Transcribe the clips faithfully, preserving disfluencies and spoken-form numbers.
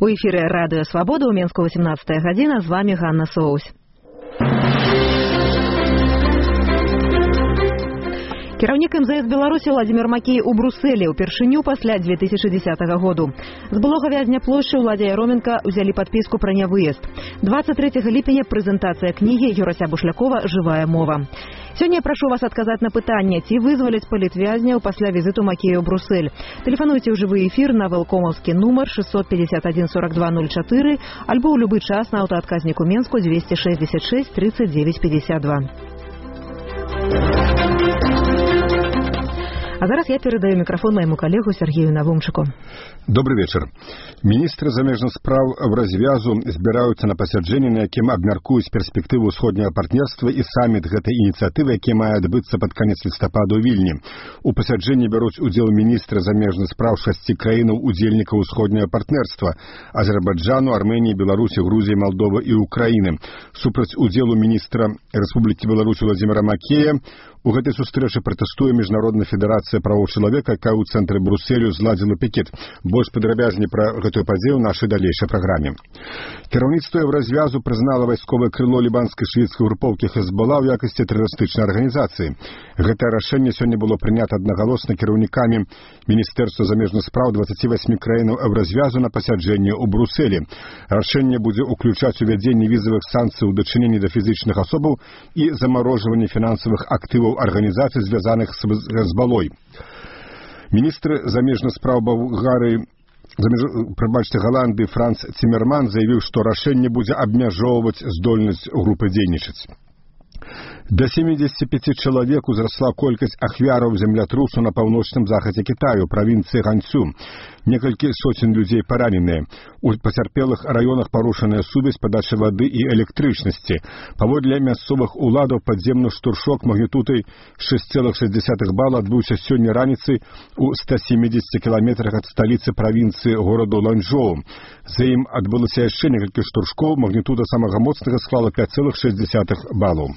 У эфіры радыё Свабода, у Менску восемнадцатая гадзіна, з вами Ганна Соусь. Кіраўнік эм зэ эс Беларусі Владзімір Макей у Брусэлі упершыню пасля две тысячи десятого году. З былога вязня плошчы Уладзя Яроменка ўзялі падпіску пра нявыезд. двадцать третьего ліпеня прэзентацыя кнігі Юрася Бушлякова «Жывая мова». Сёння я прашу вас адказаць на пытанне, ці вызваляць палітвязняў пасля візіту Макея ў Брусэль. Тэлефануйце ў жывы эфір на вэлкомаўскі нумар шестьсот пятьдесят один сорок два ноль четыре альбо ў любы час на аўтаадказніку Менску двести шестьдесят шесть тридцать девять пятьдесят два. А зараз я передаю микрофон моему коллегу Сергею Навумчику. Добрый вечер. Министры замежных справ в развязу збираются на пасяджэнне, на якім абмяркуюць перспектыву ўсходняга партнерства і саміт гэтай ініцыятывы, які мае адбыцца пад канец лістапада ў Вільні. У пасяджэнні бяруць удзел міністры замежных справ шасці краінаў удзельнікаў усходняга партнерства: Азербайджану, Арменіі, Беларусі, Грузіі, Молдовы і Украіны. Супраць удзелу міністра Рэспублікі Беларусь Владзіміра Макея у гэтай сустрэчы пратэстуе Міжнародная федэрацыя правоў чалавека, якая ў цэнтры Брусэлю зладзіла пікет. Больш падрабязней пра гэтую падзею ў нашай далейшай праграме. Кіраўніцтва развязу прызнала вайсковае крыло лібанскай шыіцкай групоўкі Хезбола ў якасці тэрарыстычнай арганізацыі. Гэтае рашэнне сёння было прынята аднагалосна кіраўнікамі Міністэрства замежных спраў двадцати восьми краінаў Еўразвязу на пасяджэнні ў Брусэлі. Рашэнне будзе ўключаць увядзенне візавых санкцый у дачыненні да фізічных асобаў і замарожванне фінансавых актываў арганізацый, звязаных з Хезболой. Міністр замежных спраў Балгарыі, прабачце, Галандыі Франц Цімерман заявіў, што рашэнне будзе абмяжоўваць здольнасць групы дзейнічаць. До семидесяти пяти чалавек узрасла колькасць ахвяраў землятрусу на паўночным захадзе Китаю, правінцыі Ганцю. Некалькі сотен людзей параненыя. У пацярпелых раёнах парушаная сувязь, падача вады і электрычнасці. Паводле мясцовых уладаў падземны штуршок магнітудай шесть целых шесть десятых бала адбыўся сёння раніцай у ста семидесяти кіламетрах ад сталіцы правінцыі гораду Ланчжоу. За ім адбылося яшчэ некалькі штуршкоў, магнітуда самага моцнага склала пять целых шесть десятых балаў.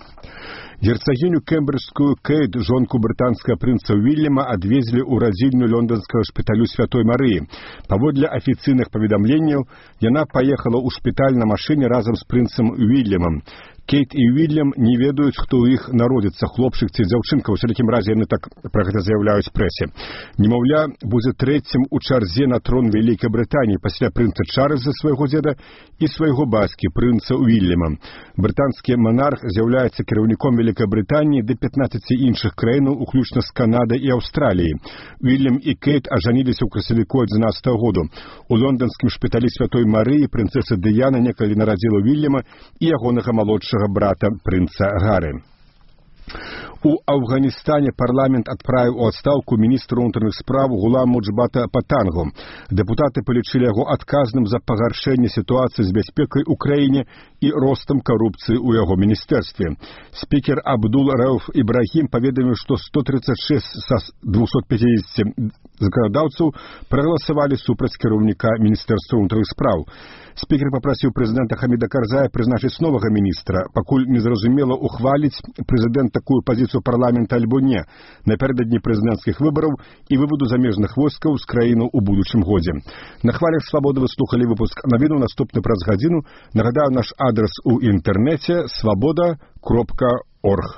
Герцагіню кембриджскую Кейт, жонку брытанскага прынца Уільяма, адвезлі ў радзільню лонданскага шпіталю Святой Марыі. Паводле афіцыйных паведамленняў, яна паехала ў шпіталь на машыне разам з прынцам Уільямам. Кейт і Уільям не ведаюць, хто ў іх народзіцца, хлопчык ці дзяўчынка. У усякім разе яны так пра гэта заяўляюць прэсе. Немаўля будзе трэцім у чарзе на трон Вялікай Брытаніі пасля прынца Чарльза, свайго дзеда, і свайго бацькі, прынца Уільяма. Брытанскі манарх з'яўляецца кіраўніком Вялікай Брытаніі да пятнаццаці іншых краінаў, уключна з Канадай і Аўстраліяй. Уільям і Кейт ажаніліся ў красавіку адзінаццатага году. У лонданскім шпіталі Святой Марыі прынцэса Дыяна некалі нарадзіла Уільяма і ягонага малодшага брата прынца Гары. У Афганістане парламент адправіў у адстаўку міністра ўнутраных спраў Гулам Муджбата Патангу. Дэпутаты палічылі яго адказным за пагаршэнне сітуацыі з бяспекай у краіне і ростам карупцыі ў яго міністэрстве. Спікер Абдул Рауф Ібрагім паведаміў, што сто тридцать шесть са двухсот пятидесяти заканадаўцаў прагаласавалі супраць кіраўніка міністэрства ўнутраных спраў. Спікер папрасіў прэзідэнта Хаміда Карзая прызначыць новага міністра, пакуль незразумела, ухваліць прэзідэнт такую пазіцыю парламента альбо не, напярэдадні прэзідэнцкіх выбараў і выводу замежных войскаў з краіны ў будучым годзе. На хвалях Свабоды вы слухалі выпуск навіну, наступны праз гадзіну. Нагадаю, наш адрес у інтэрнэце свабода кропка орг.